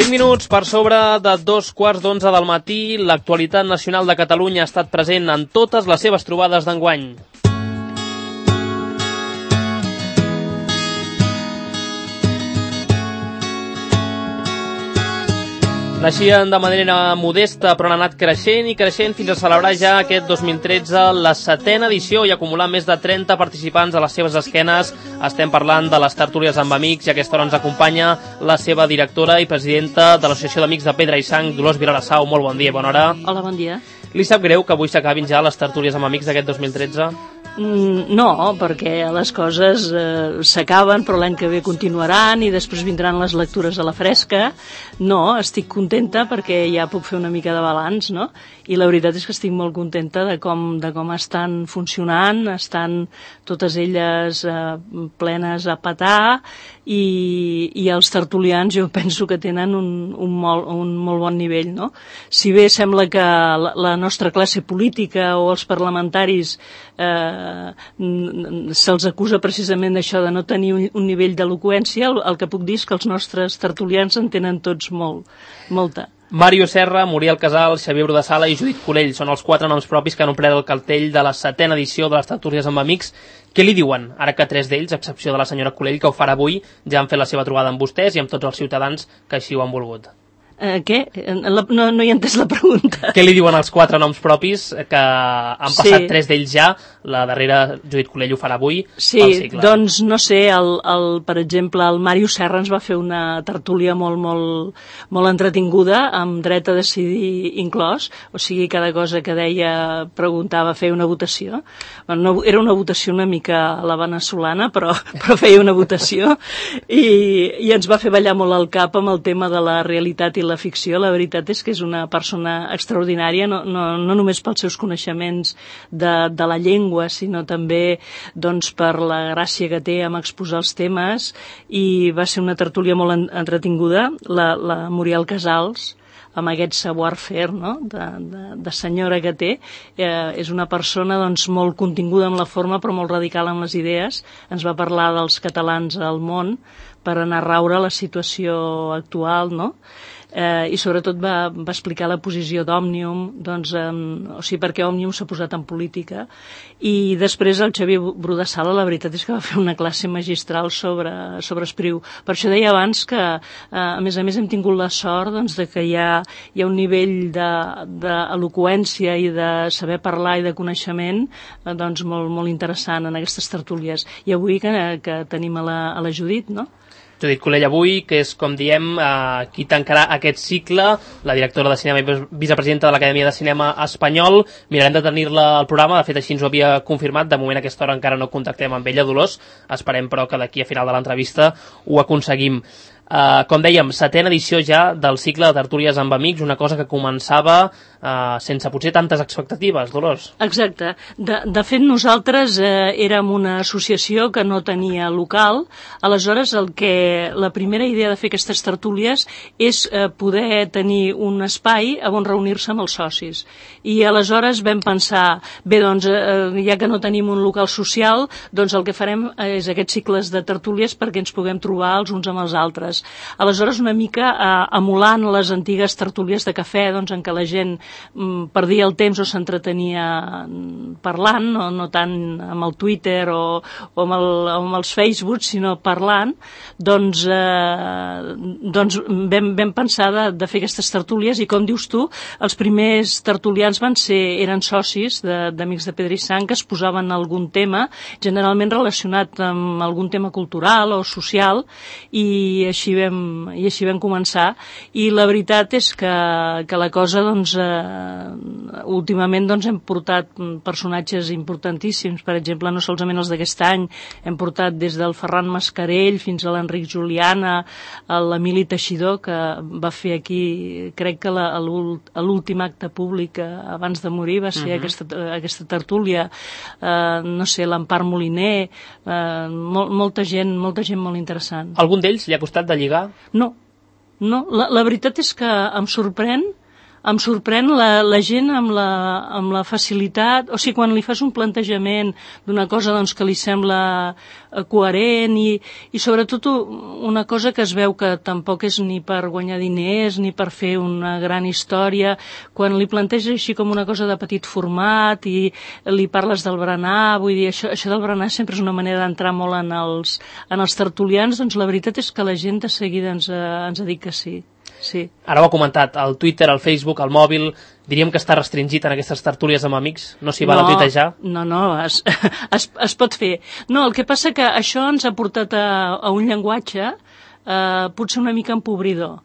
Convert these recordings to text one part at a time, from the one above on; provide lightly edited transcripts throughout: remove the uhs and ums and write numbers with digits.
5 minuts per sobre de 2:15 del matí, l'actualitat nacional de Catalunya ha estat present en totes les seves trobades d'enguany. Naixien de manera modesta, però han anat creixent i creixent fins a celebrar ja aquest 2013 la 7ª edició i acumular més de 30 participants a les seves esquenes. Estem parlant de les tertúlies amb amics i a aquesta hora ens acompanya la seva directora i presidenta de l'Associació d'Amics de Pedra i Sang, Dolors Vilarassau. Molt bon dia i bona hora. Hola, bon dia. Li sap greu que avui s'acabin ja les tertúlies amb amics d'aquest 2013? No, perquè les coses s'acaben, però l'any que ve continuaran i després vindran les lectures a la fresca. No, estic contenta perquè ja puc fer una mica de balanç, no? I la veritat és que estic molt contenta de com estan funcionant, estan totes elles plenes a petar i els tertulians jo penso que tenen un molt bon nivell, no? Si bé sembla que la nostra classe política o els parlamentaris se'ls acusa precisament d'això, de no tenir un nivell d'eloqüència, el que puc dir és que els nostres tertulians en tenen tots molta. Màrius Serra, Muriel Casals, Xavier Brudesala i Judit Colell són els 4 noms propis que han omplert el cartell de la 7ª edició de les tertúlies amb amics. Què li diuen, ara que 3 d'ells, a excepció de la senyora Colell, que ho farà avui, ja han fet la seva trobada amb vostès i amb tots els ciutadans que així ho han volgut? Què? No he entès la pregunta. Què li diuen els 4 noms propis que han passat 3 d'ells ja? La darrera, Judit Colell, ho farà avui. Sí, doncs no sé, per exemple, el Màrius Serra ens va fer una tertúlia molt entretinguda, amb dret a decidir inclòs, o sigui, cada cosa que deia preguntava, feia una votació. No, era una votació una mica a la veneçolana, però feia una votació, i ens va fer ballar molt el cap amb el tema de la realitat i la ficció. La veritat és que és una persona extraordinària, no només pels seus coneixements de la llengua, sinó també doncs, per la gràcia que té amb exposar els temes, i va ser una tertúlia molt entretinguda. La Muriel Casals, amb aquest savoir-faire, no? de senyora que té, és una persona doncs, molt continguda en la forma però molt radical en les idees. Ens va parlar dels catalans al món per anar a raure la situació actual, no? I sobretot va explicar la posició d'Òmnium, doncs, o sigui, perquè Òmnium s'ha posat en política. I després el Xavier Brudesala, la veritat és que va fer una classe magistral sobre Espriu. Per això deia abans que, a més, hem tingut la sort doncs, de que hi ha un nivell d'eloqüència i de saber parlar i de coneixement doncs, molt interessant en aquestes tertúlies. I avui que tenim a la Judit, no? Judit Colell avui, que és, com diem, qui tancarà aquest cicle, la directora de cinema i vicepresidenta de l'Acadèmia de Cinema Espanyol. Mirarem de tenir-la al programa, de fet així ens ho havia confirmat, de moment a aquesta hora encara no contactem amb ella, Dolors, esperem però que d'aquí a final de l'entrevista ho aconseguim. Com dèiem, 7ª edició ja del cicle de tertúlies amb amics, una cosa que començava sense potser tantes expectatives, Dolors. Exacte. De fet, nosaltres érem una associació que no tenia local, aleshores la primera idea de fer aquestes tertúlies és poder tenir un espai on reunir-se amb els socis. I aleshores vam pensar, bé, doncs, ja que no tenim un local social, doncs el que farem és aquests cicles de tertúlies perquè ens puguem trobar els uns amb els altres. Aleshores, una mica emulant les antigues tertúlies de cafè, doncs, en què la gent perdia el temps o s'entretenia parlant, no tant amb el Twitter o amb els Facebook, sinó parlant, doncs vam pensar de fer aquestes tertúlies, i com dius tu, els primers tertulians eren socis d'Amics de Pedra i Sang que es posaven algun tema, generalment relacionat amb algun tema cultural o social, i així vam començar. I la veritat és que la cosa, doncs, últimament doncs, hem portat personatges importantíssims, per exemple, no solament els d'aquest any, hem portat des del Ferran Mascarell fins a l'Enric Juliana, l'Emili Teixidor, que va fer aquí, crec que l'últim acte públic abans de morir va ser aquesta tertúlia, no sé, l'Empar Moliner, molta gent molt interessant. Algun d'ells li ha costat de lligar? No, la veritat és que em sorprèn Em sorprèn la gent amb la facilitat, o sigui, quan li fas un plantejament d'una cosa doncs, que li sembla coherent i sobretot una cosa que es veu que tampoc és ni per guanyar diners ni per fer una gran història, quan li planteges així com una cosa de petit format i li parles del berenar, vull dir, això del berenar sempre és una manera d'entrar molt en els tertulians, doncs la veritat és que la gent de seguida ens ha dit que sí. Sí. Ara ho ha comentat, el Twitter, el Facebook, el mòbil, diríem que està restringit en aquestes tertúlies amb amics? No s'hi val a tuitejar? No, es pot fer. No, el que passa que això ens ha portat a un llenguatge potser una mica empobridor.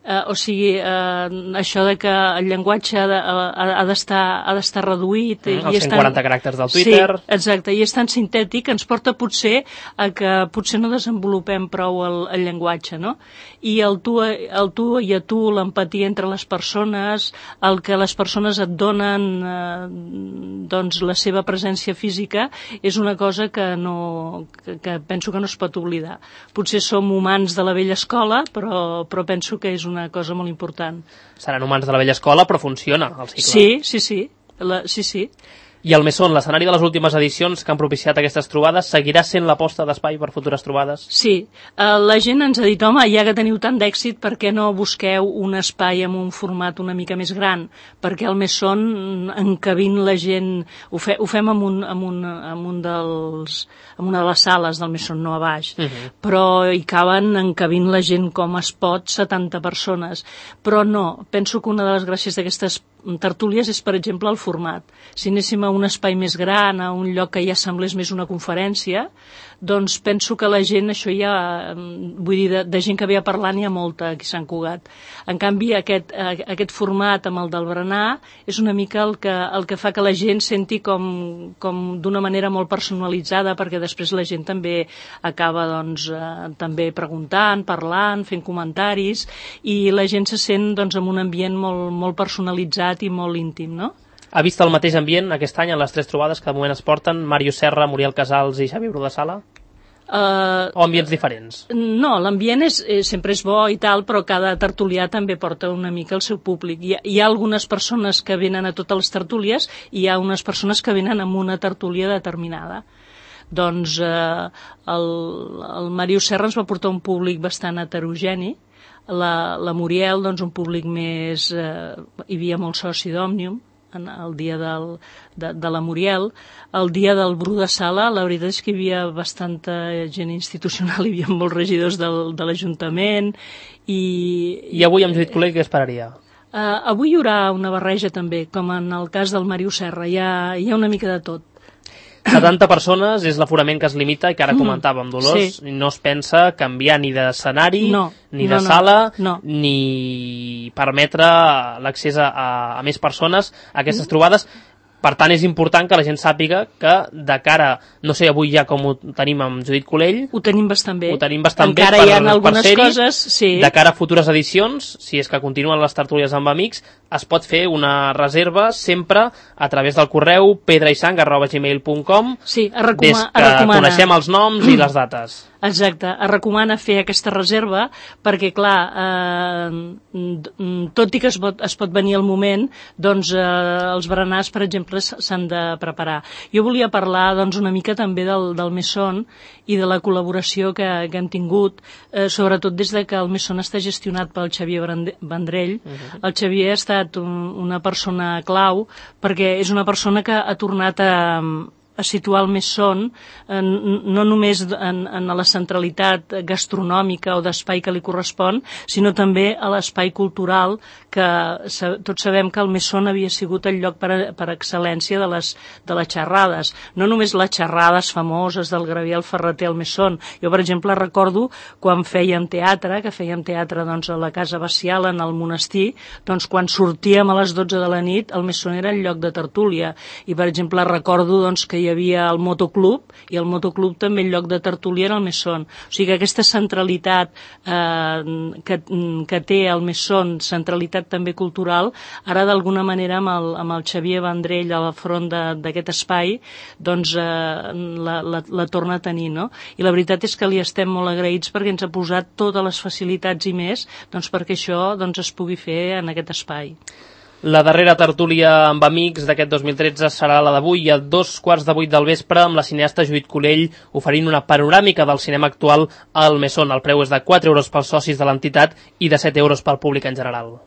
O sigui, això de que el llenguatge ha d'estar reduït. Els 140 caràcters del Twitter. Sí, exacte, i és tan sintètic que ens porta potser a que potser no desenvolupem prou el llenguatge, no? I el tu i a tu, l'empatia entre les persones, el que les persones et donen doncs la seva presència física, és una cosa que penso que no es pot oblidar. Potser som humans de la vella escola, però penso que és una cosa molt important. Seran humans de la vella escola, però funciona el cicle. Sí. I el Mesón, l'escenari de les últimes edicions que han propiciat aquestes trobades, seguirà sent l'aposta d'espai per futures trobades? Sí. La gent ens ha dit, home, ja que teniu tant d'èxit, per què no busqueu un espai amb un format una mica més gran? Perquè el Mesón, encabint la gent... Ho fem amb una de les sales del Mesón, no a baix. Però hi caben encabint la gent com es pot, 70 persones. Però no, penso que una de les gràcies d'aquestes tertúlies és, per exemple, el format. Si anéssim a un espai més gran, a un lloc que ja semblés més una conferència, doncs penso que la gent, això ja, vull dir, de gent que ve a parlar n'hi ha molta aquí a Sant Cugat. En canvi, aquest format amb el del berenar és una mica el que fa que la gent senti com d'una manera molt personalitzada, perquè després la gent també acaba doncs, també preguntant, parlant, fent comentaris, i la gent se sent doncs, en un ambient molt, molt personalitzat i molt íntim, no? Ha vist el mateix ambient aquest any en les 3 trobades que de moment es porten, Màrius Serra, Muriel Casals i Xavier Bru de Sala? O ambients diferents? No, l'ambient sempre és bo i tal, però cada tertulià també porta una mica el seu públic. Hi ha algunes persones que venen a totes les tertúlies i hi ha unes persones que venen amb una tertúlia determinada. Doncs el Màrius Serra ens va portar un públic bastant heterogeni, la Muriel, doncs, un públic més... hi havia molt soci d'Òmnium, el dia de la Muriel. El dia del Bru de Sala, la veritat és que hi havia bastanta gent institucional, hi havia molts regidors de l'Ajuntament I avui amb Judit Colell què esperaria? Avui hi haurà una barreja també, com en el cas del Màrius Serra, hi ha una mica de tot. 70 persones és l'aforament que es limita i que ara comentàvem, Dolors, sí. No es pensa canviar ni d'escenari, ni de sala, ni permetre l'accés a més persones a aquestes trobades. Per tant, és important que la gent sàpiga que de cara, no sé avui ja com ho tenim amb Judit Colell... Ho tenim bastant bé. Encara hi ha algunes coses, sí. De cara a futures edicions, si és que continuen les tertúlies amb amics, es pot fer una reserva sempre a través del correu pedraisang@gmail.com des que coneixem els noms i les dates. Exacte, es recomana fer aquesta reserva perquè, clar, tot i que es pot venir al moment, doncs els berenars, per exemple, s'han de preparar. Jo volia parlar doncs, una mica també del Mesón i de la col·laboració que hem tingut, sobretot des de que el Mesón està gestionat pel Xavier Vendrell. El Xavier ha estat una persona clau perquè és una persona que ha tornat a situar el Mesón no només en la centralitat gastronòmica o d'espai que li correspon, sinó també a l'espai cultural, que tots sabem que el Mesón havia sigut el lloc per excel·lència de les xerrades. No només les xerrades famoses del Gabriel Ferreter al Mesón. Jo, per exemple, recordo quan fèiem teatre, doncs, a la Casa Bacial, en el monestir, doncs quan sortíem a les 12 de la nit, el Mesón era el lloc de tertúlia. I, per exemple, recordo doncs, que hi havia el motoclub, i el motoclub també el lloc de tertúlia era el Mesón. O sigui que aquesta centralitat que té el Mesón, centralitat també cultural, ara d'alguna manera amb el Xavier Vendrell al front d'aquest espai, doncs la torna a tenir, no? I la veritat és que li estem molt agraïts perquè ens ha posat totes les facilitats i més doncs perquè això doncs, es pugui fer en aquest espai. La darrera tertúlia amb amics d'aquest 2013 serà la d'avui a 7:15 del vespre amb la cineasta Judit Collell oferint una panoràmica del cinema actual al Mesón. El preu és de 4 euros pels socis de l'entitat i de 7 euros pel públic en general.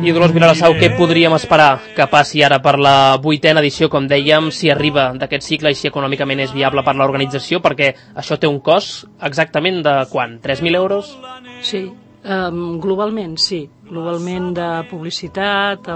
I Dolors Vilassau, què podríem esperar que passi ara per la 8a edició, com dèiem, si arriba d'aquest cicle i si econòmicament és viable per l'organització, perquè això té un cost exactament de quant? 3.000 euros? Sí, globalment sí, globalment de publicitat,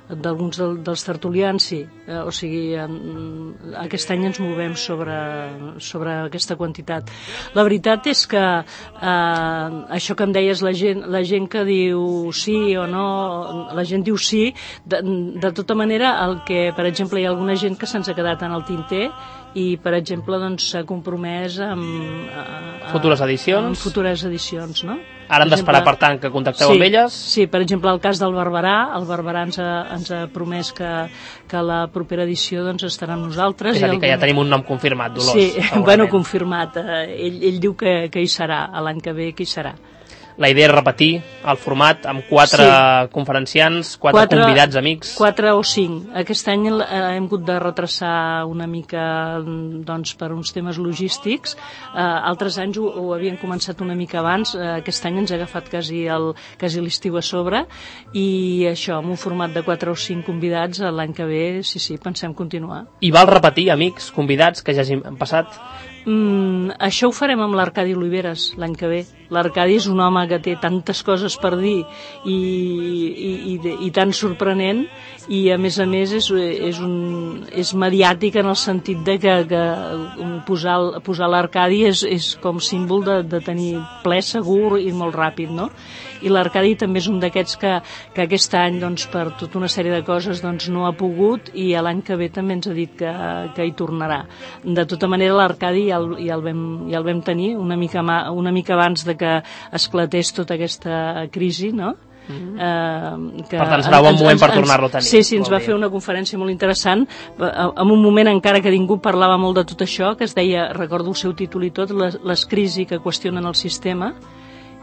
d'alguns dels tertulians sí, o sigui aquest any ens movem sobre aquesta quantitat. La veritat és que això que em deies, la gent que diu sí o no, la gent diu sí, de tota manera el que, per exemple, hi ha alguna gent que se'ns ha quedat en el tinter i, per exemple, doncs, s'ha compromès amb futures edicions. Amb futures edicions, no? Ara hem d'esperar, per tant, que contacteu amb elles? Sí, per exemple, el cas del Barberà, el Barberà ens ha promès que la propera edició doncs, estarà amb nosaltres. És a dir, que ja tenim un nom confirmat, Dolors. Sí, bueno, confirmat. Ell diu que hi serà, l'any que ve que hi serà. La idea és repetir el format amb 4 conferenciants, 4 convidats amics. 4 o 5. Aquest any hem hagut de retrasar una mica doncs, per uns temes logístics. Altres anys ho havien començat una mica abans. Aquest any ens ha agafat quasi l'estiu a sobre i això, amb un format de 4 o 5 convidats l'any que ve, sí, pensem continuar. I val repetir, amics, convidats que ja hagin passat? Això ho farem amb l'Arcadi Oliveres l'any que ve. L'Arcadi és un home que té tantes coses per dir i tan sorprenent, i a més és mediàtic en el sentit de que posar l'Arcadi és com símbol de tenir ple segur i molt ràpid, no? I l'Arcadi també és un d'aquests que aquest any, doncs, per tota una sèrie de coses, doncs, no ha pogut, i l'any que ve també ens ha dit que hi tornarà. De tota manera, l'Arcadi ja el vam tenir una mica abans de que esclatés tota aquesta crisi, no? Per tant, serà un bon moment per tornar-lo a tenir. Sí, ens va fer una conferència molt interessant, en un moment encara que ningú parlava molt de tot això, que es deia, recordo el seu títol i tot, les crisis que qüestionen el sistema,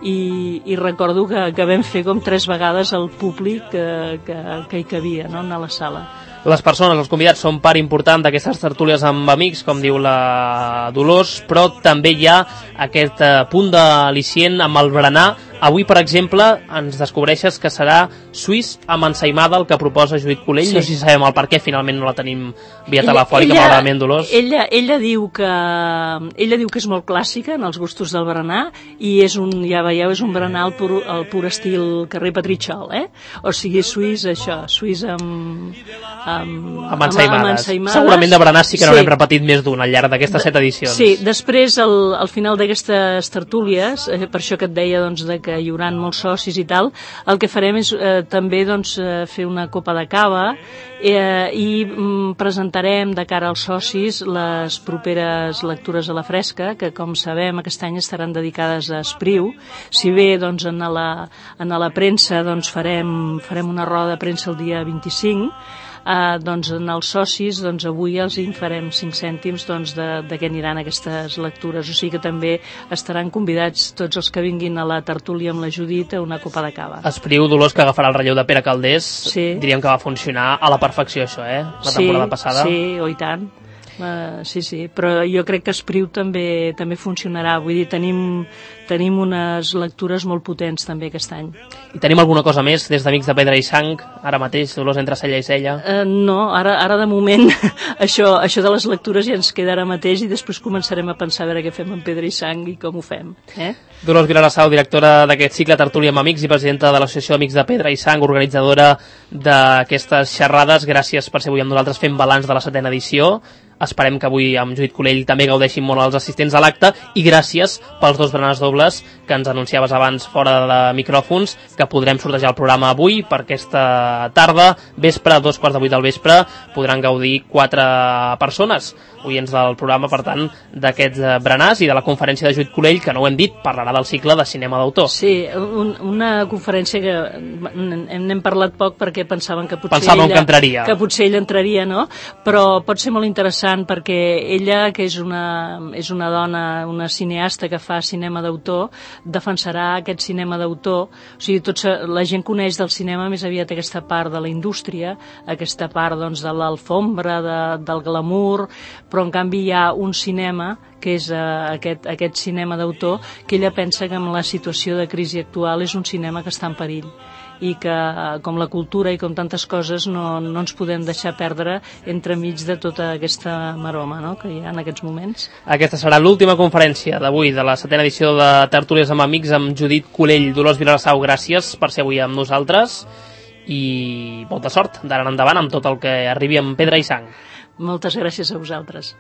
i recordo que vam fer com 3 vegades el públic que hi cabia, no?, a la sala. Les persones, els convidats, són part important d'aquestes tertúlies amb amics, com diu la Dolors, però també hi ha aquest punt d'al·licient amb el berenar. Avui, per exemple, ens descobreixes que serà suís amb ensaïmada el que proposa Judit Collell. Sí. No sé si sabem el per què finalment no la tenim via telefònica, malauradament, Dolors. Ella diu que és molt clàssica en els gustos del berenar, i ja veieu, és un berenar al pur estil carrer Petritxol, O sigui, suís amb ensaïmades. Segurament de berenar sí que n'haurem repetit més d'un al llarg d'aquestes 7 edicions. Sí, després, al final d'aquestes tertúlies, per això que et deia doncs, que hi haurà molts socis i tal, el que farem és també doncs, fer una copa de cava i presentarem de cara als socis les properes lectures a la fresca, que com sabem aquest any estaran dedicades a Espriu. Si bé doncs, en la premsa doncs, farem una roda de premsa el dia 25, doncs en els socis doncs avui els en farem 5 cèntims doncs, de què aniran aquestes lectures, o sigui que també estaran convidats tots els que vinguin a la tertúlia amb la Judit a una copa de cava. Espriu, Dolors, que agafarà el relleu de Pere Calders, diríem que va funcionar a la perfecció això, la temporada passada. Sí, i tant. Sí, però jo crec que Espriu també funcionarà, vull dir, tenim unes lectures molt potents també aquest any. I tenim alguna cosa més des d'Amics de Pedra i Sang, ara mateix, Dolors, entre cella i cella? No, ara de moment això de les lectures ja ens queda ara mateix, i després començarem a pensar a veure què fem amb Pedra i Sang i com ho fem. Dolors Vilassau, directora d'aquest cicle Tertúlia amb Amics i presidenta de l'Associació d'Amics de Pedra i Sang, organitzadora d'aquestes xerrades, gràcies per ser avui amb nosaltres fent balanç de la 7a edició. esperem que avui amb Judit Colell també gaudeixin molt els assistents a l'acte, i gràcies pels 2 berenars dobles que ens anunciaves abans fora de micròfons, que podrem sortejar el programa avui per aquesta tarda, vespre, 2:15 del vespre, podran gaudir 4 persones, oients del programa, per tant, d'aquests berenars i de la conferència de Judit Colell, que no ho hem dit, parlarà del cicle de cinema d'autor. Sí, una conferència que n'hem parlat poc perquè pensaven que potser que potser ella entraria, no? Però pot ser molt interessant perquè ella, que és una dona, una cineasta que fa cinema d'autor, defensarà aquest cinema d'autor. O sigui, la gent coneix del cinema més aviat aquesta part de la indústria, aquesta part, doncs, de l'alfombra, del glamour, però en canvi hi ha un cinema que és aquest cinema d'autor, que ella pensa que amb la situació de crisi actual és un cinema que està en perill, i que, com la cultura i com tantes coses, no ens podem deixar perdre entremig de tota aquesta maroma, no?, que hi ha en aquests moments. Aquesta serà l'última conferència d'avui de la 7ª edició de Tertúlies amb Amics amb Judit Colell. Dolors Vilassau, gràcies per ser avui amb nosaltres i molta sort d'ara en endavant amb tot el que arribi amb pedra i sang. Moltes gràcies a vosaltres.